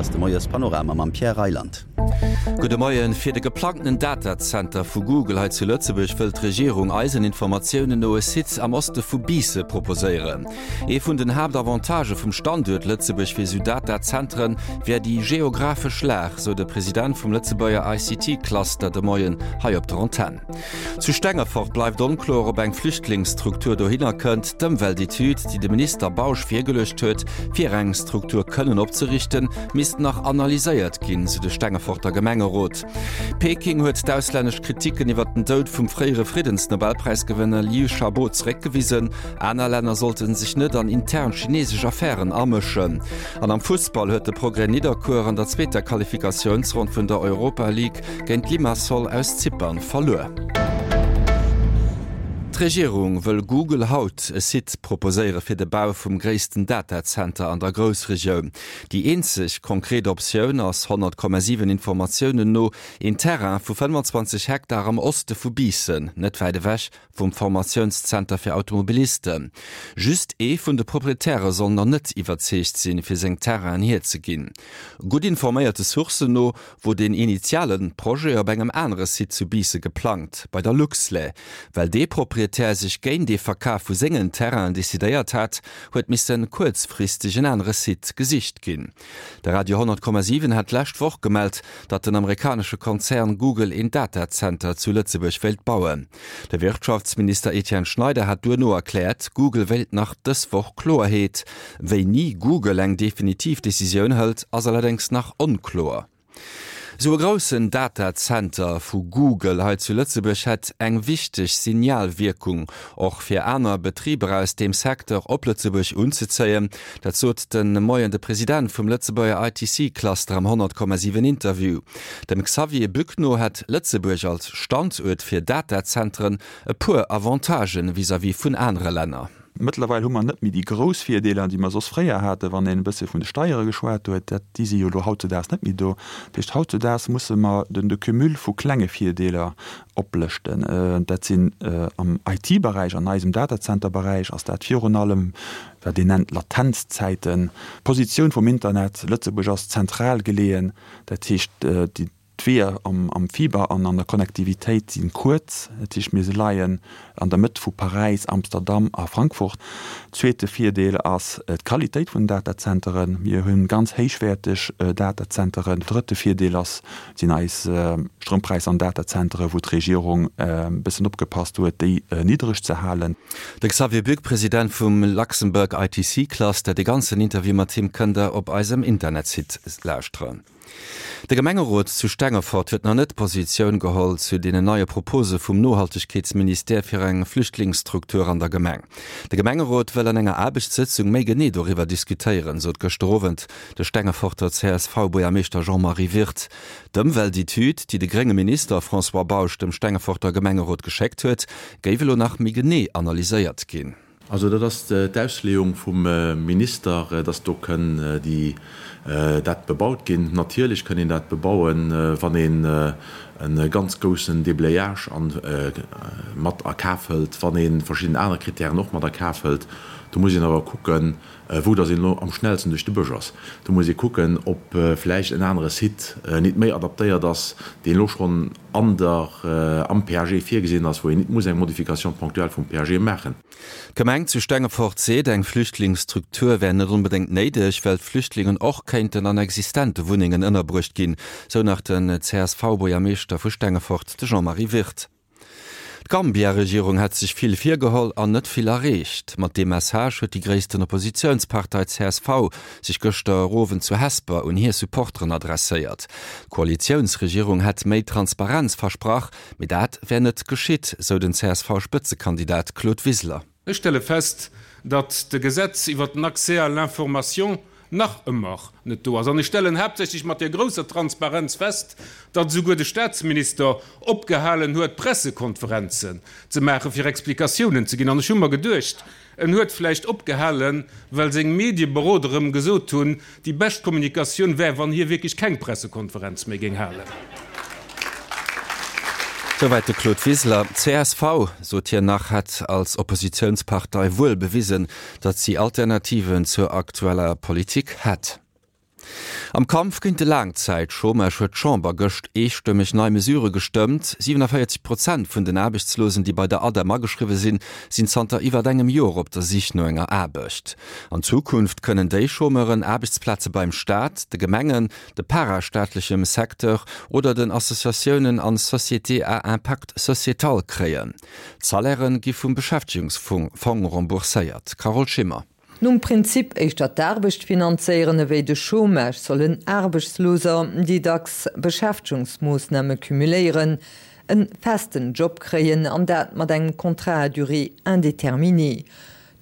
ass de Moiespanorama mam Pierre Reyland. Gudde Moien. Fir de geplangtenen Datazenter vu Google hei zu Lëtzebuerg wëll d'Regierung eisen Informatiounen no e Site am Oste vu Biisse proposéieren. Ee vun den Haaptavantagë vum Standuert Lëtzebuerg fir esou Datazentren wär déi geographesch Lag, sou de President vum Lëtzebuerger ICT-Cluster de Moien hei op der Antenn. Zu Stengefort bleift onkloer, ob eng Flüchtlingsstruktur dohinner kënnt. D'Ëmweltetüd, déi de Minister Bausch virgeluecht huet, fir eng Struktur kënnen opzeriichten, misst nach analyséiert ginn, sou de Stengeforter Gemengerot. Peking huet d'auslännesch Kriticken iwwer den Doud vum fréiere Friddensnobelpräisgewënner Liu Xiaobo zeréckgewisen. Aner Länner sollte sech net an intern chinesesch Affären amëschen. An am Fussball huet de Progrès Nidderkuer an der zweeter Qualifikatiounsronn vun der Europa League géint Limassol aus Zypern verluer. D'Regierung wëll Google haut e Site proposéiere fir de Bau vum gréissten Datazenter an der Groussregioun. Déi eenzeg konkret Optioun ass 100,7 Informatiounen no een Terrain vu 25 Hektar am Oste vu Biissen, net wäit ewech vum Formatiounszenter fir Automobilisten. Just ee vun de Proprietäre soll nach net iwwerzeegt sinn, fir seng Terrainen hierzeginn. Gutt informéierte Sourcen no wor deen initiale Projet op engem anere Site zu Biisse geplangt, bei der Luxlait. Well dee Proprietär sech géint ee Verkaf vu sengen Terrainen decidéiert hat, huet misse kuerzfristeg en anere Site gesicht ginn. De Radio 10,7 hat d'lescht Woch gemellt, datt den amerikanesche Konzern Google een Datazenter zu Lëtzebuerg wéilt bauen. De Wirtschaftsminister Etienne Schneider hat duerno erkläert, Google wéilt nach dës Woch Kloerheet. Wéini Google eng definitiv Decisioun hëlt, ass allerdéngs nach onkloer. Esou e groussen Datazenter vu Google hei zu Lëtzebuerg hätt eng wichteg Signalwierkung, och fir aner Betriber aus deem Secteur op Lëtzebuerg unzezéien. Dat sot de Moien de President vum Lëtzebuerger ITC-Cluster am 100,7 Interview. Dem Xavier Bück no hätt Lëtzebuerg als Standuert fir Datazentren e puer Avantagen vis-à-vis vun anere Länner. Mëttlerweil hu mer net méi déi grouss Virdeeler, déi mer soss fréier haten, wann een e bësse vun de Steiere geschwat huet. Dat, déi si jo elo hautzedaags net méi do. Dat heescht, hautzedaags musse mer den de Cumul vu klenge Virdeeler oplëschten. Dat sinn am IT-Beräich, an eisem Datazenterberäich ass dat virun allem wat een nennt Latenzzäiten. D'Positioun vum Internet, Lëtzebuerg ass zentral geleeën, dat heescht d'Weeër am Fiber an an der Connectivitéit si kuerz, dat heescht mir leien an der Mëtt vu Paräis, Amsterdam a Frankfurt. Zweete Virdeel ass d'Qualitéit vun den Datazenteren, mir hu ganz héichwäerteg Datazenteren. Drëtte Virdeel ass, sinn eis Stroumpräisser an Datazenteren, wou d'Regierung e bëssen opgepasst huet, déi niddreg ze halen. De Xavier Buck, President vum Luxembourg ITC Cluster. De ganzen Interview mat him kënnt der op eisem Internetsite lauschteren. De Gemengerot zu Stengefort huet nach net Positioun geholl zu deenen neie Propose vum Nohaltegkeetsministère fir eng Flüchtlingsstruktur an der Gemeng. De Gemengerot wëll an enger Aarbechtssëtzung méi genee doriwwer diskutéieren, sot gëschter Owend de Stengeforter CSV-Buergermeeschter Jean-Marie Wirth. D'Ëmweltetüd, déi de grénge Minister François Bausch dem Stengeforter Gemengerot geschéckt huet, géif elo nach méi genee analyséiert ginn. Also dat ass d'Ausleeung vum Minister, dass do kënn déi, dat bebaut ginn. Natierlech kënn een dat bebauen, wann een e ganz goussen Déblayage an mat a Kaf hëlt, wann ee verschidden aner Kritären och mat a Kaf hëlt. Do muss een awer kucken, wou dass een elo am schnellsten duerch de Bësch ass. Do muss ee kucken, ob vläicht en anere Site nit méi adaptéiert ass, deen elo schonn an der, am PAG virgesinn ass, wou een nit muss eng Modification ponctuelle vum PAG maachen. D'Gemeng zu Stengefort seet, eng Flüchtlingsstruktur wär net onbedéngt néideg, well d'Flüchtlingen och kéinten an existente Wunnengen ënnerbruecht ginn, sou nach den CSV-Buergermeeschter vu Stengefort, de Jean-Marie Wirth. D'Gambia-Regierung hätt sech vill virgeholl an net vill erreecht. Mat deem Message huet déi gréissten Oppositiounspartei csv sech gëschter Owend zu Hesper un hir Supporteren adresséiert. D'Koalitiounsregierung hätt méi Transparenz versprach, mee dat wär net geschitt, sou den CSV-Spëtzekandidat Claude Wiseler. Ech stelle fest, datt de Gesetz iwwert den Accès à l'information nach ëmmer net do ass. An ech stellen haaptsächlech mat där grousser Transparenz fest, datt esouguer de Statsminister opgehalen huet, Pressekonferenzen ze maachen, fir Explikatiounen ze ginn. An ech hu mer geduecht, en huet vläicht opgehalen, well seng Medieberoder em gesot hunn, déi bescht Kommunikatioun wär, wann hie wierklech keng Pressekonferenz méi géing halen. Souwäit de Claude Wiseler. Csv, sot hien nach, hätt als Oppositiounspartei wuel bewisen, datt si Alternativen zur aktueller Politik hätt. Am Kampf géint de Laangzäitchômage huet d'Chamber gëscht eestëmmeg nei Mesurë gestëmmt. 47 Prozent vun den Aarbechtslosen, déi bei der ADEM ageschriwwe sinn, sinn zanter iwwert engem Joer op der Sich no enger Aarbecht. An Zukunft kënnen déi Chômeuren Aarbechtsplaze beim Staat, de Gemengen, de parastaatlechem Secteur oder den Associatiounen an Sociétés à impact sociétal kréien. D'Salairë gi vum Beschäftegungsfong rembourséiert. Carole Schimmer. Nom Prinzip éischter d'Aarbecht finanzéieren ewéi de Chômage sollen Aarbechtsloser, déi dacks Beschäftegungsmoossname cumuléieren, en festen Job kréien, an dat mat engem Contrat à durée indéterminée.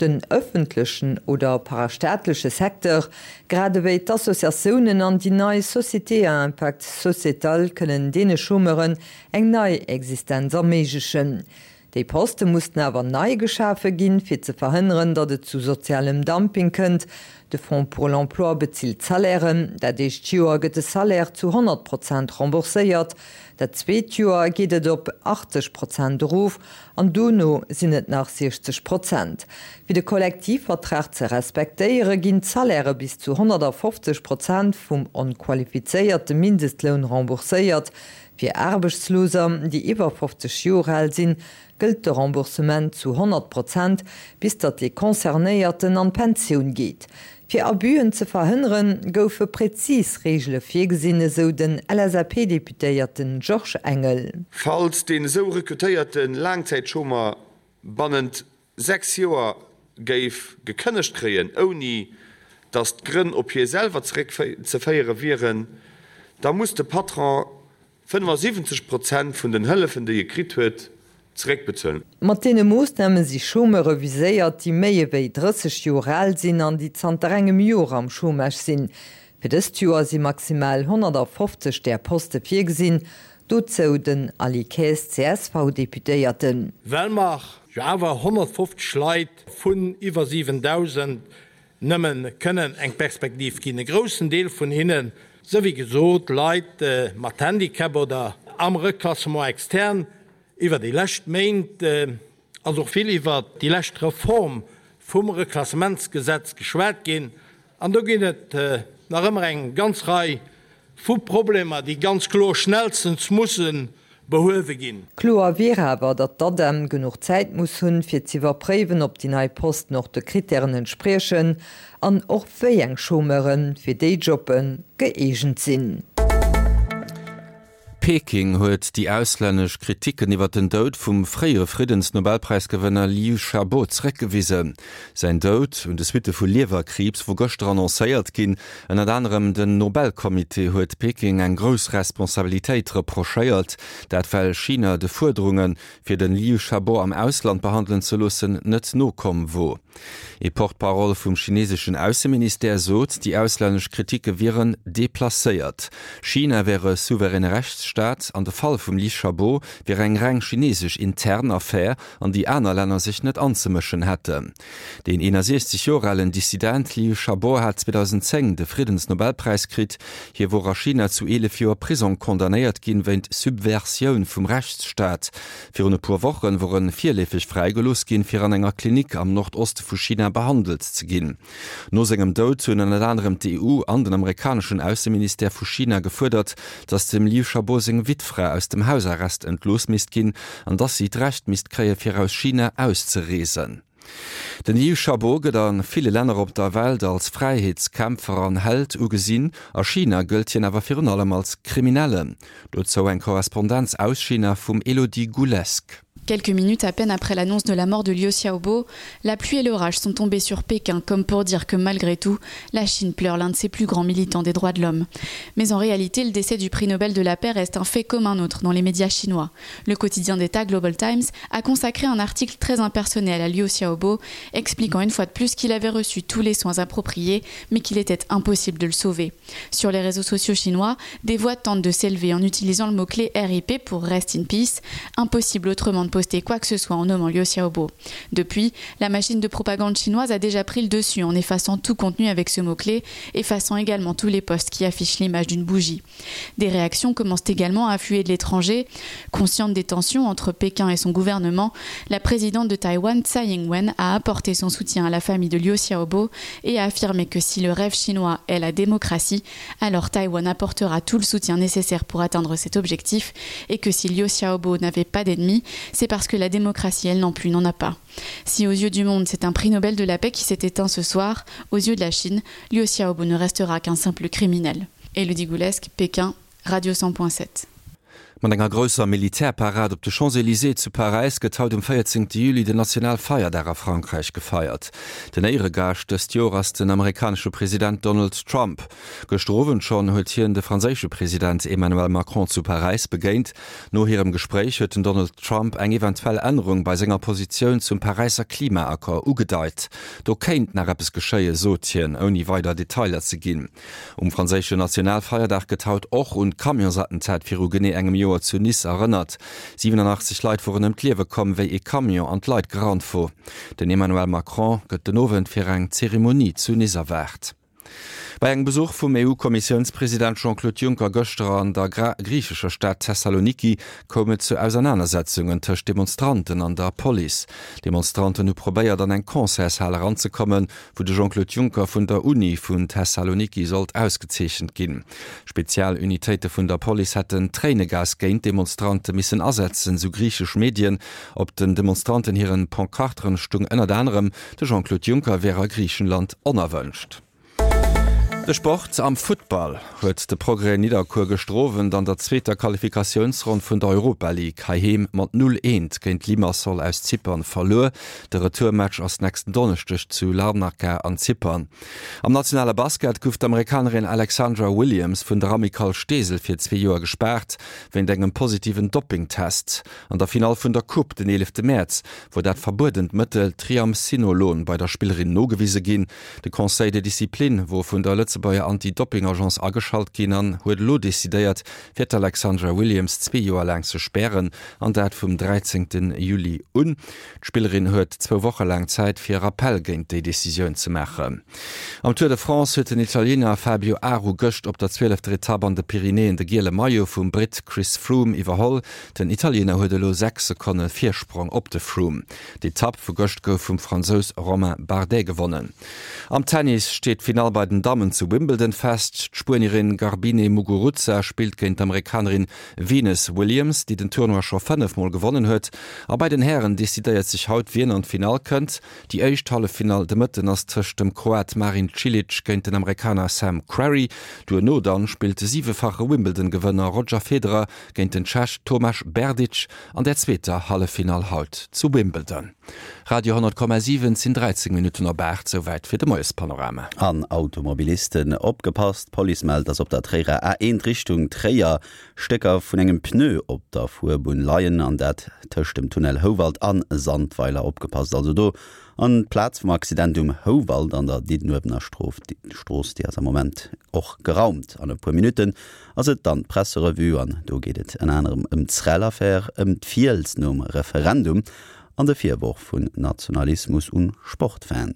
Den ëffentlechen oder parastaatleche Secteur, grad ewéi d'Associatiounen an déi nei Sociétés à impact sociétal kënnen deene Chômeuren eng nei Existenz erméiglechen. Déi Poste mussten awer nei geschafe ginn, fir ze verhënneren, datt et zu sozialem Dumping kënnt. De Fonds pour l'emploi bezilt d'Salairen. Dat éischt Joer gëtt de Salaire zu 100 Prozent rembourséiert, dat zweet Joer geet et op 80 Prozent erof an dono sinn et nach 60 Prozent. Fir de Kollektivvertrag ze respektéiere ginn d'Salairë bis zu 150 Prozent vum onqualifizéierte Mindestloun rembourséiert. Fir Aarbechtsloser, déi iwwer 50 Joer al sinn, gëllt de Remboursement zu 100 Prozent, bis datt dee Concernéierten an d'Pensioun geet. Fir Abusen ze verhënneren, goufe prezis Reegele virgesinn, esou den LSAP-Deputéierten Georges Engel. Falls deen esou rekrutéierte Laangzäitchômer bannent 6 Joer géif gekënnegt kréien, ouni datt d'Grënn op hie selwer zeréckzeféiere wieren, da muss de Patron 75 Prozent vun den Hëllefen, déi e kritt huet, zeréckbezuelen. Mat deene Moossname si Chômeure viséiert, déi méi ewéi 30 Joer al sinn an déi zanter engem Joer am Chômage sinn. Fir dëst Joer si maximal 150 där Poste virgesinn, Dozou den Aly Kaes, CSV-Deputéierten. Well mer jo awer 150 Leit vun iwwer 7.000 nëmme kënnen eng Perspektiv ginn, e groussen Deel vun hinnen, sou wéi gesot, Leit mat Handicap oder am Reclassement externe. Iwwer déi lescht Méint ass och vill iwwer déi lescht Reform vum Reklassementsgesetz geschwat ginn an do ginn et nach ëmmer eng ganz Rei vu Problemer, déi ganz kloer schnellstens musse behuewe ginn. Kloer wier awer, datt d'ADEM genuch Zäit muss hunn, fir z'iwwerpréiwen, ob déi nei Posten och de Krittären entspriechen an och wéi eng Chômeure fir déi Jobbe gëeegent sinn. Peking huet déi auslännesch Kriticken iwwer den Doud vum fréiere Friddensnobelpräisgewënner Liu Xiaobo zeréckgewisen. Säin Doud un de Suitte vu Liewerkriibs wor gëschter annoncéiert ginn. Ënnert anerem den Nobelcomité huet Peking eng grouss Responsabilitéit reprochéiert, dat well China de Fuerderunge fir de Liu Xiaobo am Ausland behandelen ze loossen, net nokomm wor. Ee Porte-parole vum chineseschen Ausseministère sot, déi auslännesch Kritike wieren deplacéiert. China wär e souveräne Rechtsstaat an de Fall vum Li Xiaobo wier eng reng chinesesch intern Affär, an déi aner Länner sech net anzemëschen hätten. Deen 61 Joer alen Dissident Liu Xiaobo hat 2010 de Friddensnobelpräis kritt. Hie wor a China zu 11 Joer Prisong condamnéiert ginn, wéint Subversioun vum Rechtsstaat. Virun e puer Wochen wor en virleefeg fräigelooss ginn, fir an enger Klinik am Nordoste vu China behandelt ze ginn. No sengem Doud hunn ënnert anerem d'EU an den amerikaneschen Ausseministère vu China gefuerdert, datt dem Liu Xiaobo seng Wittfra aus dem Hausarrest entlooss misst ginn an datt si d'Recht misst kréie fir aus China auszereesen. Den Liu Xiaobo gëtt a ville Länner op der Welt als Fräiheetskämpfer an Held ugesinn. A China gëllt hien awer virun allem als Kriminellen. Dozou eng Korrespondenz aus China vum Elodie Goulesque. Quelques minutes à peine après l'annonce de la mort de Liu Xiaobo, la pluie et l'orage sont tombés sur Pékin comme pour dire que malgré tout, la Chine pleure l'un de ses plus grands militants des droits de l'homme. Mais en réalité, le décès du prix Nobel de la paix reste un fait comme un autre dans les médias chinois. Le quotidien d'État Global Times a consacré un article très impersonnel à Liu Xiaobo, expliquant une fois de plus qu'il avait reçu tous les soins appropriés, mais qu'il était impossible de le sauver. Sur les réseaux sociaux chinois, des voix tentent de s'élever en utilisant le mot-clé RIP pour Rest in Peace, impossible autrement. avant de poster quoi que ce soit en nommant Liu Xiaobo. Depuis, la machine de propagande chinoise a déjà pris le dessus en effaçant tout contenu avec ce mot-clé, effaçant également tous les posts qui affichent l'image d'une bougie. Des réactions commencent également à affluer de l'étranger. Consciente des tensions entre Pékin et son gouvernement, la présidente de Taïwan Tsai Ing-wen a apporté son soutien à la famille de Liu Xiaobo et a affirmé que si le rêve chinois est la démocratie, alors Taïwan apportera tout le soutien nécessaire pour atteindre cet objectif et que si Liu Xiaobo n'avait pas d'ennemis, c'est parce que la démocratie elle non plus n'en a pas. Si aux yeux du monde c'est un prix Nobel de la paix qui s'est éteint ce soir, aux yeux de la Chine, Liu Xiaobo ne restera qu'un simple criminel. Elodie Goulesque, Pékin, Radio 100.7. Mat enger grousser Militärparad op de Champs-Elysées zu Paräis gëtt haut um 14 Juli den Nationalfeierdag a Frankräich gefeiert. Den Éieregaascht dëst Joer ass den amerikanesche President Donald Trump. Gëschter Owend schonn huet hien de franséische President Emmanuel Macron zu Paräis begéint. No hirem Gespréich huet den Donald Trump eng eventuell Ännerung bei senger Positioun zum Paräisser Klimaaccord ugedeit. Do kéint nach eppes geschéien, sot hien, ouni weider Detailer ze ginn. Um franséischen Nationalfeierdag gëtt haut och un d'Camionsattentat viru genee engem Joer zu Nice erënnert. 87 Leit woren ëm d'Liewe komm, wéi ee Camion an d'Leit gerannt wor. Den Emmanuel Macron gëtt den Owend fir eng Zeremonie zu Nice erwaart. Bei engem Besuch vum EU-Kommissiounspresident Jean-Claude Juncker gëschter an der griichescher Stad Thessaloniki koum et zu Ausernanersetzungen tëscht Demonstranten an der Police. Demonstranten hu probéiert an eng Concertshal eranzekommen, wou de Jean-Claude Juncker vun der Uni vun Thessaloniki sollt ausgezeechent ginn. Spezialunitéite vun der Police hätten Tréinegas géint d'Demonstrante missen asetzen, sou griichesch Medien. Op den Demonstranten hiren Pancarteren stung ënnert anerem, de Jean-Claude Juncker wär a Griichenland onerwënscht. De Sport, Am Futtball huet de Progrès Nidderkuer gëschter Owend an der zweeter Qualifikatiounsronn vun der Europa League heiheem mat 0, 1 géint Limassol aus Zypern verluer. De Retourmatch ass nächsten Donneschdeg zu Larnaca an Zypern. Am nationale Basket gouf d'Amerikanerin Alexandra Williams vun der Amicale Steesel fir zwee Joer gespaart, wéint engem positiven Doppingtest. An der Finall vun der Coupe den 11 Mäerz wor dat verbuedent Mëttel Triamcinolon bei der Spillerin nogewise ginn. De Conseil de discipline wor vun der Lëtzebuerger Anti-Dopping-Agence ageschalt ginn an huet elo decidéiert, fir d'Alexandra Williams zwee Joer laang ze spären, an dat vum 13 Juli un. D'Spillerin huet zwou Woche laang Zäit fir Rappell géint déi Decisioun ze maachen. Am Tour de France huet den Italiener Fabio Aru gëscht op der zwielefter Etapp an de Pyrenäen de giele Maillot vum Britt Chris Froome iwwerholl. Den Italiener huet elo 6 Sekonne Virsprong op de Froome. D'Etapp vu gëscht gouf vum Fransous Romain Bardet gewonnen. Am Tennis steet d'Finall bei den Dammen zu Wimbledon fest. D'Spuenierin Garbine Muguruza spillt géint d'Amerikanerin Venus Williams, déi den Tournoi scho 5 Mol gewonnen huet. A bei den Hären decidéiert sech haut, wien an d'Finall kënnt. Déi éischt Halleffinall de Mëtten ass tëscht dem Kroat Marin Cilic géint den Amerikaner Sam Querrey. Duerno dann spillt de siwefache Wimbledon-Gewënner Roger Federer géint den Tschech Tomáš Berdych an der zweeter Halleffinall haut zu Wimbledon. Radio 10,7 Et sinn 13 Minutten op 8, souwäit fir de Moiespanorama. An Automobilisten opgepasst, D'Police mellt, dass op der Tréierer A1 Richtung Tréier Stécker vun engem Pneu op der Fuerbunn leien, an dat tëscht dem Tunnel Houwald a Sandweiler. Opgepasst also do an d'Plaz vum Accident um Houwald an der Diddenuewener Strooss, déi ass am Moment och geraumt. An e puer Minutten ass et dann d'Presserevue an do geet et ënner anerem ëm d'Srel-Affär, ëm d'Fiels nom Referendum an de Virworf vun Nationalismus un Sportfans.